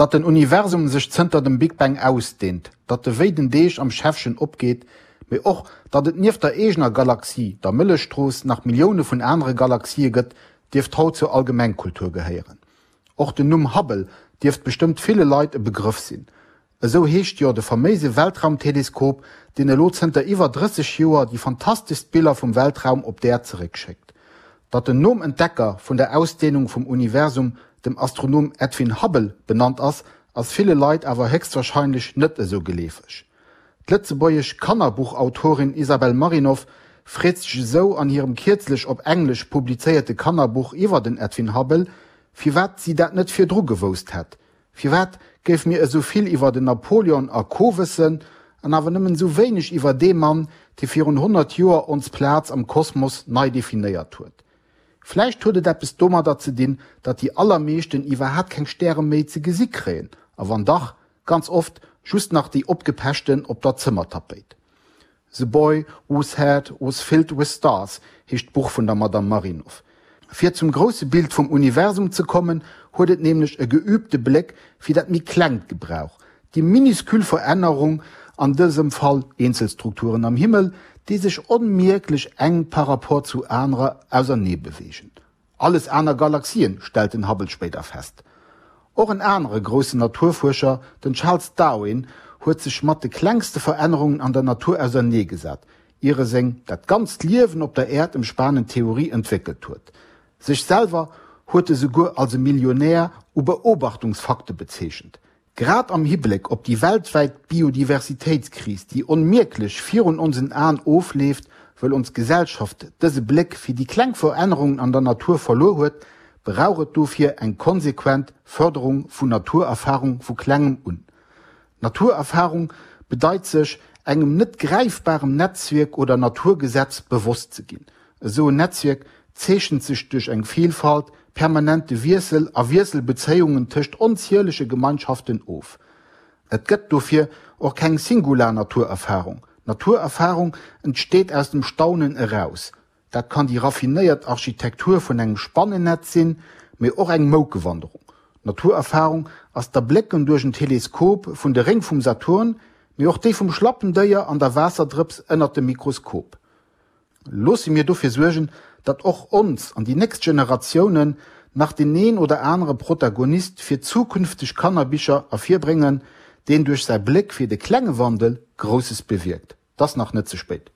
Datt den Universum sech zënter dem Big Bang ausdeent, datt e wéi den Deeg am Schäffchen opgeet, mee och datt et nieft der eegener Galaxie, der Mëllechstrooss, nach Millioune vun anere Galaxië gëtt, dierft haut zur Allgemengkultur gehéieren. Och den Numm Hubble dierft bestëmmt ville Leit e Begrëff sinn. Esou heescht jo de faméise Weltraumteleskop, deen elo zënter iwwer 30 Joer déi fantasteschst Biller vum Weltraum op d'Äerd zeréckschéckt. Datt en nom Entdecker vun der Ausdeenung vum Universum, dem Astronom Edwin Hubble, benannt ass, ass ville Leit awer héchstwarscheinlech net esou geleefeg. D'lëtzebuergesch Kannerbuchautorin Isabelle Marinov freet sech esou an hirem kierzlech op Englesch publizéierte Kannerbuch iwwer den Edwin Hubble, firwat si dat net virdru gewousst hätt. Firwat géife mir esou vill iwwer den Napoleon a Co wëssen, an awer nëmmen esou wéineg iwwer dee Mann, dee virun 100 Joer ons Plaz am Kosmos nei definéiert huet? Vläicht huet et eppes domadder ze dinn, datt déi allermeeschten iwwerhaapt keng Stäre méi ze gesi kréien, a wann dach, ganz oft just nach déi opgepechten op der Zëmmertapéit. The Boy Whose Head Was Filled With Stars heescht d'Buch vun der Madame Marinoff. Fir zum grousse Bild vum Universum ze kommen, huet et nämlech e geübte Bléck fir dat méi Klengt gebrauch, déi minuscule Verännerung, an dësem Fall eenzel Strukturen am Himmel, déi sech onmierklech eng par rapport zu anerer ausernee beweegen. Alles aner Galaxien, stellt den Hubble spéider fest. Och en anere groussen Naturfuerscher, den Charles Darwin, huet sech mat de klengste Verännerungen an der Natur auserneegesat, ier e seng dat ganzt Liewen op der Äerd ëmspanend Theorie entwéckelt huet. Sech selwer huet e souguer als e Millionär u Beobachtungsfakte bezeechent. Grad am Hibléck op déi weltwäit Biodiversitéitskris, déi onmierklech virun onsen Aen ofleeft, wëll ons Gesellschaft dëse Bléck fir déi kleng Verännerungen an der Natur verluer huet, brauch et dofir eng konsequent Fërderung vun Naturerfarung vu klengem un. Naturerfarung bedeit sech engem net gräifbarem Netzwierk oder Naturgesetz bewosst ze ginn. Esou en Netzwierk zeechent sech duerch eng Vielfalt, permanente Wiessel a Wiesselbezéiungen tëscht onzielege Gemeinschaften of. Et gëtt dofir och keng singular Naturerfarung. Naturerfarung entsteet aus dem Staunen eraus. Dat kann déi raffinéiert Architektur vun engem Spannennetz sinn, mee och eng Moukewanderung. Naturerfarung ass d'Erblécken duerch en Teleskop vun de Réng vum Saturn, mee och déi vum Schlappendéier an der Waasserdrëps ënnert dem Mikroskop. Loosse mir dofir suergen, datt och ons an déi nächst Generatiounen nach deen een oder anere Protagonist fir zukünfteg Kannerbicher ervirbréngen, deen duerch säi Bléck fir de klenge Wandel Grousses bewierkt. 't ass nach net ze spéit.